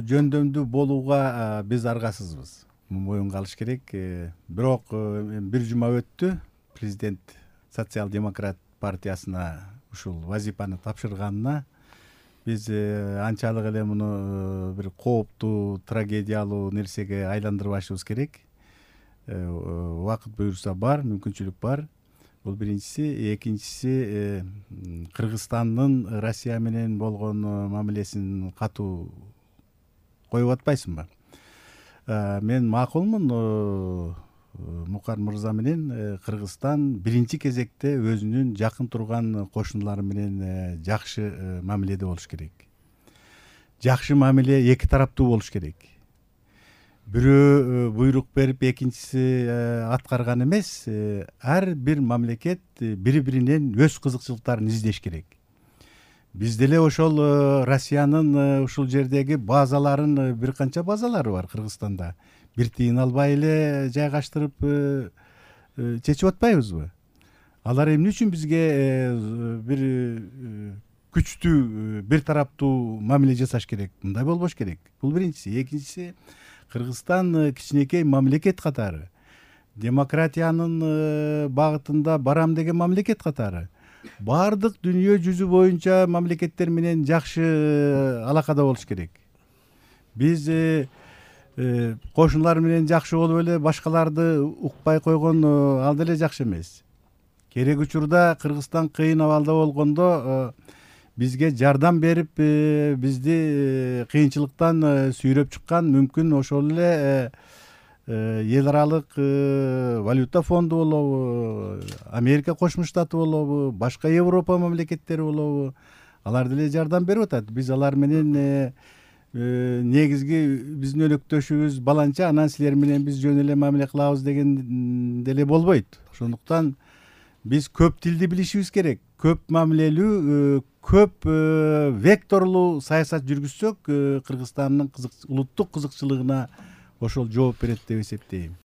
жөндөмдүү болууга биз аргасызбыз. Моюнга алыш керек. Бирок бир жума өттү. Президент социал-демократ партиясына ушул вазифаны тапшырганына биз анчалык эле муну бир кооптуу, трагедиялуу нерсеге айландырбашыбыз керек. Убакыт буюрса бар, мүмкүнчүлүк бар. Бул биринчиси. Экинчиси, Кыргызстандын Россия менен болгон мамилесин катуу коюп атпайсыңбы? Мен макулмун. Мукар мырза менен Кыргызстан биринчи кезекте өзүнүн жакын турган кошуналары менен жакшы мамиледе болуш керек. Жакшы мамиле эки тараптуу болуш керек. Бирөө буйрук берип, экинчиси аткарган эмес. Ар бир мамлекет бири-биринен өз кызыкчылыктарын издеш керек. Биз деле ошол Россиянын ушул жердеги базаларын, бир канча базалары бар Кыргызстанда. Бир тыйын албай эле жайгаштырып чечип атпайбызбы? Алар эмне үчүн бизге бир күчтүү, бир тараптуу мамиле жасаш керек? Мындай болбош керек. Бул биринчиси. Экинчиси, Кыргызстан кичинекей мамлекет катары, демократиянын багытында барам деген мамлекет катары баардык дүйнө жүзү боюнча мамлекеттер менен жакшы алакада болуш керек. Биз кошуналар менен жакшы болуп эле башкаларды укпай койгон ал деле жакшы эмес. Керек учурда Кыргызстан кыйын абалда болгондо бизге жардам берип, бизди кыйынчылыктан сүйрөп чыккан мүмкүн ошол эле эл аралык валюта фонду болобу, Америка Кошмо Штаты болобу, башка Европа мамлекеттери болобу, алар деле жардам берип атат. Биз алар менен негизги биздин өнөктөшүбүз баланча, анан силер менен биз жөн эле мамиле кылабыз деген деле болбойт. Ошондуктан биз көп тилди билишибиз керек. Көп мамилелүү, көп векторлуу саясат жүргүзсөк, Кыргызстандын улуттук кызыкчылыгына ошол жооп берет деп эсептейм.